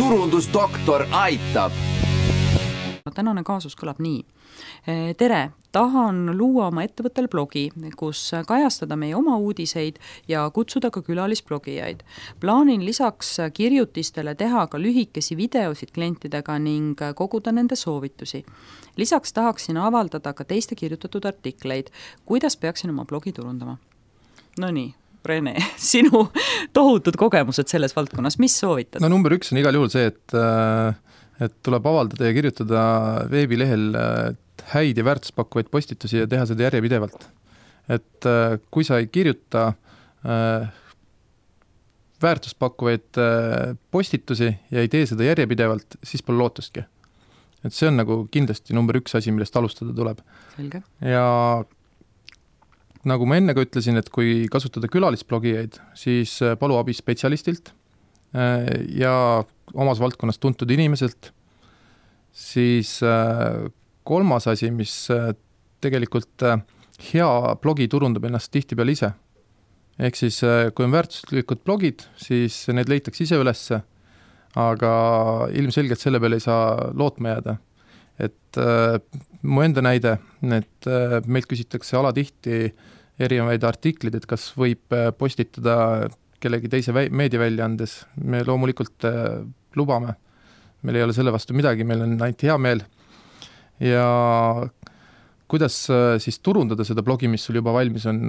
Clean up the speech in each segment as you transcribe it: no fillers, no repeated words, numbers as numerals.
turundusdoktor aitab. Tänane kaasus kõlab nii. Tere, tahan luua oma ettevõttel blogi, kus kajastada meie oma uudiseid ja kutsuda ka külalisblogijaid. Plaanin lisaks kirjutistele teha ka lühikesi videosid klientidega ning koguda nende soovitusi. Lisaks tahaksin avaldada ka teiste kirjutatud artikleid, kuidas peaksin oma blogi turundama. No nii, Rene, sinu tohutud kogemused selles valdkonnas, mis soovitad? No number 1 on igal juhul see, et tuleb avaldada ja kirjutada veebilehel häid ja väärtuspakkuvaid postitusi ja teha seda järjepidevalt. Et kui sa ei kirjuta väärtuspakkuvaid postitusi ja ei tee seda järjepidevalt, siis pole lootustki. Et see on nagu kindlasti number 1 asi, millest alustada tuleb. Selge. Ja nagu ma enne ka ütlesin, et kui kasutada külalisblogijaid, siis palu abi spetsialistilt ja omas valdkonnas tuntud inimeselt, siis kolmas asi, mis tegelikult hea blogi turundab ennast tihtipeale ise. Ehk siis, kui on väärtuslikud blogid, siis need leitakse ise ülesse, aga ilmselgelt selle peale ei saa lootma jääda. Et mu enda näide, et meilt küsitakse alatihti erinevaid artiklid, et kas võib postitada kellegi teise meediaväljaandes. Me loomulikult lubame. Meil ei ole selle vastu midagi, meil on ainult hea meel. Ja kuidas siis turundada seda blogi, mis sul juba valmis on,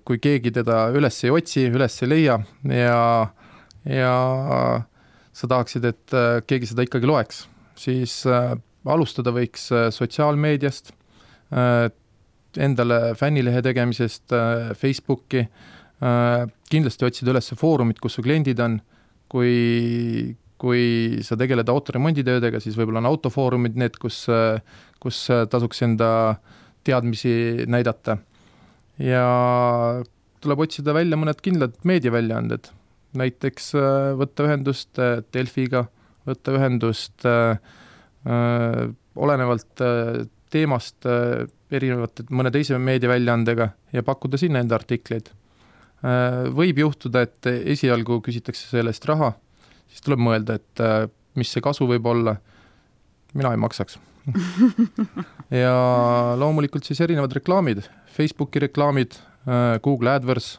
kui keegi teda üles ei otsi, üles ei leia ja sa tahaksid, et keegi seda ikkagi loeks, siis alustada võiks sotsiaalmeediast, endale fännilehe tegemisest, Facebooki, kindlasti otsida üles foorumid, kus su kliendid on, kui sa tegeled autoremonditöödega, siis võib-olla on autofoorumid need, kus tasuks enda teadmisi näidata. Ja tuleb otsida välja mõned kindlad meediaväljaanded, näiteks võtta ühendust Delfiga, võtta ühendust olenevalt teemast erinevate mõne teise meediaväljaandega ja pakkuda sinna enda artikleid. Võib juhtuda, et esialgu küsitakse sellest raha, siis tuleb mõelda, et mis see kasu võib olla. Mina ei maksaks. Ja loomulikult siis erinevad reklaamid, Facebooki reklaamid, Google AdWords.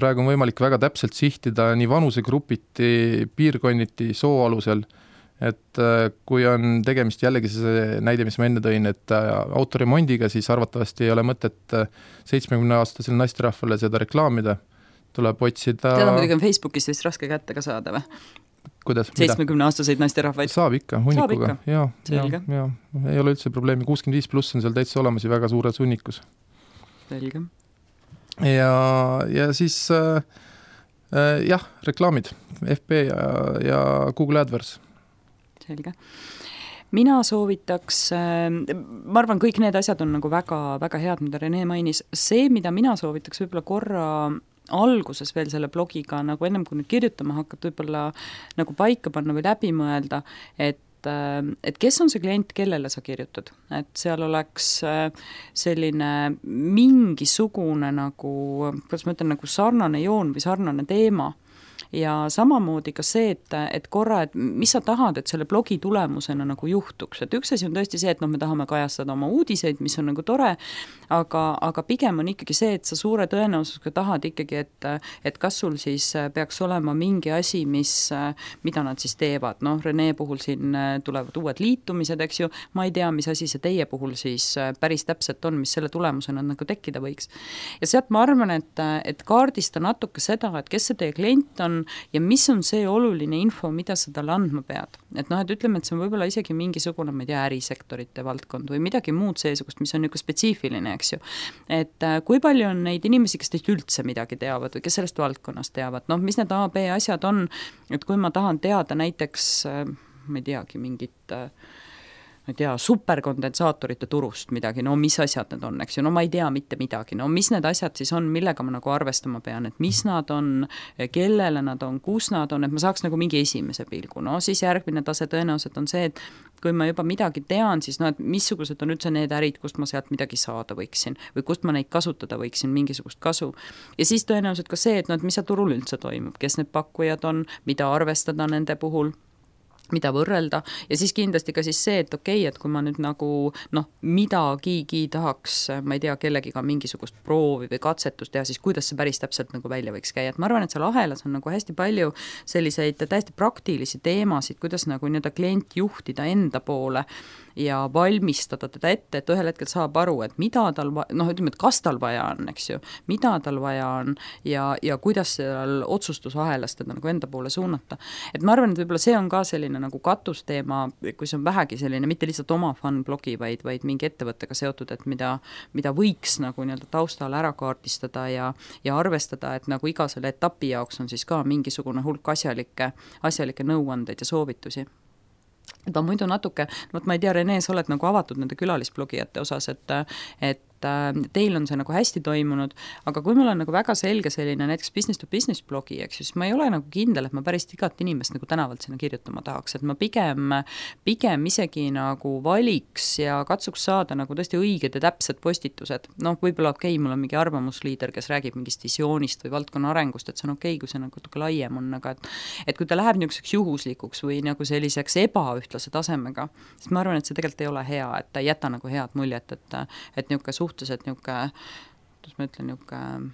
Praegu on võimalik väga täpselt sihtida nii vanusegrupiti, piirkonniti, soo alusel, et kui on tegemist jällegi see näide, mis ma enne tõin, et autoremondiga, siis arvatavasti ei ole mõtet 70-aastasel naisterahvale seda reklaamida. Tuleb otsida... Teada muidugi on Facebookis vist raske kätte ka saada või? Kuidas? 70-aastaseid naisterahvaid? Saab ikka, hunnikuga. Ja, ei ole üldse probleemi. 65+ on seal täitsa olemas ja väga suures hunnikus. Selge. Ja siis reklaamid, FB ja Google AdWords. Selge. Mina soovitaks, ma arvan, kõik need asjad on nagu väga, väga head, mida Rene mainis. See, mida mina soovitaks võib-olla korra alguses veel selle blogiga, nagu ennem kui nüüd kirjutama hakkad, võib-olla nagu paika panna või läbi mõelda, et kes on see klient, kellele sa kirjutad. Et seal oleks selline mingisugune nagu, kuidas ma ütlen, nagu sarnane joon või sarnane teema. Ja samamoodi ka see, et korra, et mis sa tahad, et selle blogi tulemusena nagu juhtuks. Et üks asi on tõesti see, et me tahame kajastada oma uudiseid, mis on nagu tore, aga pigem on ikkagi see, et sa suure tõenäosusega tahad ikkagi, et kas sul siis peaks olema mingi asi, mida nad siis teevad. Rene puhul siin tulevad uued liitumised, eks ju, ma ei tea, mis asi see teie puhul siis päris täpselt on, mis selle tulemusena nagu tekkida võiks. Ja sealt ma arvan, et kaardista natuke seda, et kes see teie klient on ja mis on see oluline info, mida sa talle andma pead. Et ütleme, et see on võib-olla isegi mingisugune, ma ei tea, ärisektorite valdkond või midagi muud seesugust, mis on niisugune spetsiifiline, eks ju. Et kui palju on neid inimesi, kes teist üldse midagi teavad või kes sellest valdkonnast teavad, mis need A, B asjad on, et kui ma tahan teada näiteks, ma ei teagi, mingit ma ei tea, superkondensaatorite turust midagi, no mis asjad need on, eks ju, no ma ei tea mitte midagi, no mis need asjad siis on, millega ma nagu arvestama pean, et mis nad on, kellele nad on, kus nad on, et ma saaks nagu mingi esimese pilgu, no siis järgmine tase tõenäoliselt on see, et kui ma juba midagi tean, siis no, et missugused on üldse need ärid, kust ma sealt midagi saada võiksin või kust ma neid kasutada võiksin, mingisugust kasu. Ja siis tõenäoliselt ka see, et no, et mis seal turul üldse toimub, kes need pakkujad on, mida arvestada nende puhul, mida võrrelda ja siis kindlasti ka siis see, et okei, et kui ma nüüd nagu midagigi tahaks, ma ei tea, kellegiga mingisugust proovi või katsetust teha, siis kuidas see päris täpselt nagu välja võiks käia, et ma arvan, et seal ahelas on nagu hästi palju selliseid täiesti praktilisi teemasid, kuidas nagu nii-öelda klient juhtida enda poole ja valmistada teda ette, et ühel hetkel saab aru, et mida tal, ütleme, et kas tal vaja on, eks ju, mida tal vaja on ja kuidas seal otsustusahelas teda nagu enda poole suunata. Et ma arvan, et võib-olla see on ka selline nagu katusteema, kui see on vähegi selline, mitte lihtsalt oma fun-blogi, vaid mingi ettevõttega seotud, et mida võiks nagu nii-öelda taustal ära kaardistada ja arvestada, et nagu iga selle etapi jaoks on siis ka mingisugune hulk asjalikke nõuandeid ja soovitusi. Ta muidu natuke, ma ei tea, Rene, sa oled nagu avatud nende külalisblogijate osas, et teil on see nagu hästi toimunud, aga kui mul on nagu väga selge selline näiteks business to business blogi, eks siis ma ei ole nagu kindel, et ma päris igat inimest nagu tänavalt sinna kirjutama tahaks, et ma pigem isegi nagu valiks ja katsuks saada nagu tõesti õiged ja täpsed postitused. Võib-olla okei, mul on mingi arvamusliider, kes räägib mingist visioonist või valdkonna arengust, et see on okei, kui see nagu natuke laiem on, aga et kui ta läheb niisuguseks juhuslikuks või nagu selliseks ebaühtlase tasemega, siis ma arvan, et see tegelikult ei ole hea, et ta ei jäta nagu head muljet, et niisugune suhteliselt niisugune, kuidas ma ütlen, niisugune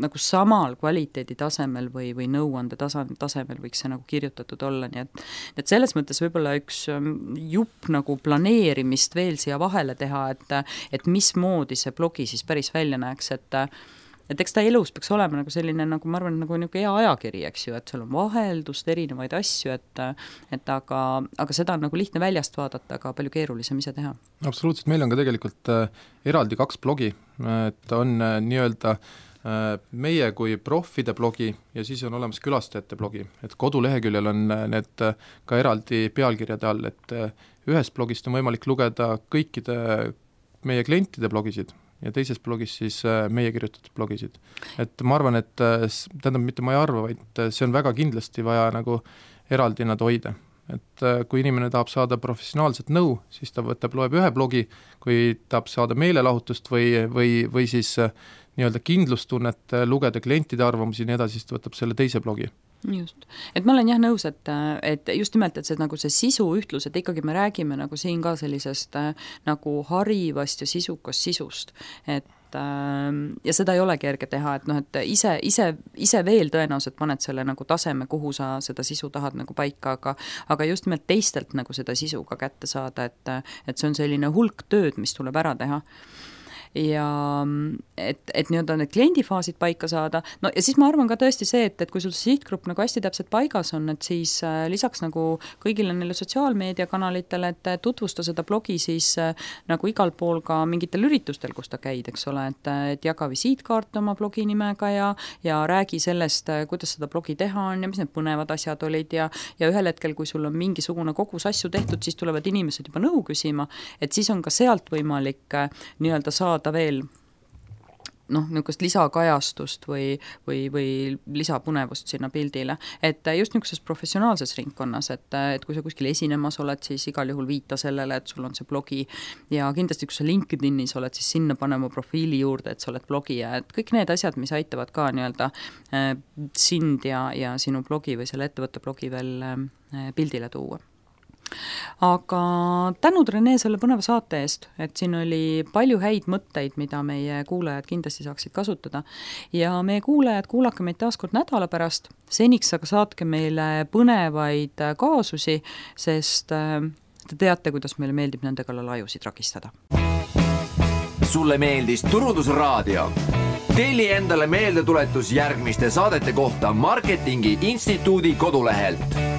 nagu samal kvaliteedi tasemel või nõuande tasemel võiks see nagu kirjutatud olla, nii et selles mõttes võib-olla üks jupp nagu planeerimist veel siia vahele teha, et mismoodi see blogi siis päris välja näeks, et eks ta elus peaks olema nagu selline, nagu ma arvan, nagu niisugune hea ajakiri, eks ju, et seal on vaheldust, erinevaid asju, et aga seda on nagu lihtne väljast vaadata, aga palju keerulisem ise teha. Absoluutselt, meil on ka tegelikult eraldi 2 blogi, et on nii-öelda meie kui profide blogi ja siis on olemas külastajate blogi, et koduleheküljel on need ka eraldi pealkirjade all, et ühest blogist on võimalik lugeda kõikide meie klientide blogisid ja teises blogis siis meie kirjutatud blogisid. Et ma arvan, et tähendab, mitte ma ei arva, vaid see on väga kindlasti vaja nagu eraldi nad hoida. Et kui inimene tahab saada professionaalset nõu, siis ta loeb ühe blogi, kui tahab saada meelelahutust või siis nii-öelda kindlustunnet, lugeda klientide arvamusi ja nii edasi, siis ta võtab selle teise blogi. Just. Et ma olen jah nõus, et just nimelt, et see, nagu see sisu ühtlus, et ikkagi me räägime nagu siin ka sellisest nagu harivast ja sisukast sisust, ja seda ei ole kerge teha, et ise veel tõenäoliselt paned selle nagu taseme, kuhu sa seda sisu tahad nagu paika, aga just nimelt teistelt nagu seda sisu ka kätte saada, et see on selline hulk tööd, mis tuleb ära teha. Ja et nii-öelda need kliendifaasid paika saada, no ja siis ma arvan ka tõesti see, et kui sul see sihtgrupp nagu hästi täpselt paigas on, et siis lisaks nagu kõigile neile sotsiaalmeediakanalitele, et tutvusta seda blogi siis nagu igal pool ka mingitel üritustel, kus ta käid, eks ole, et jaga visiitkaart oma blogi nimega ja räägi sellest, kuidas seda blogi teha on ja mis need põnevad asjad olid ja ühel hetkel, kui sul on mingisugune kogus asju tehtud, siis tulevad inimesed juba nõu küsima, et siis on ka sealt võimalik nii-öelda saada veel niisugust lisakajastust või lisapunevust sinna pildile, et just niisuguses professionaalses ringkonnas, et kui sa kuskil esinemas oled, siis igal juhul viita sellele, et sul on see blogi ja kindlasti, kui sa LinkedInis oled, siis sinna panema profiili juurde, et sa oled blogija, et kõik need asjad, mis aitavad ka nii-öelda sind ja sinu blogi või selle ettevõtte blogi veel pildile tuua. Aga tänud, Rene, selle põneva saate eest, et siin oli palju häid mõtteid, mida meie kuulajad kindlasti saaksid kasutada ja meie kuulajad, kuulake meid taaskord nädala pärast, seniks aga saatke meile põnevaid kaasusi, sest te teate, kuidas meile meeldib nende kallal ajusid rakistada. Sulle meeldis Turundusraadio? Telli endale meeldetuletus järgmiste saadete kohta Marketingi Instituudi kodulehelt.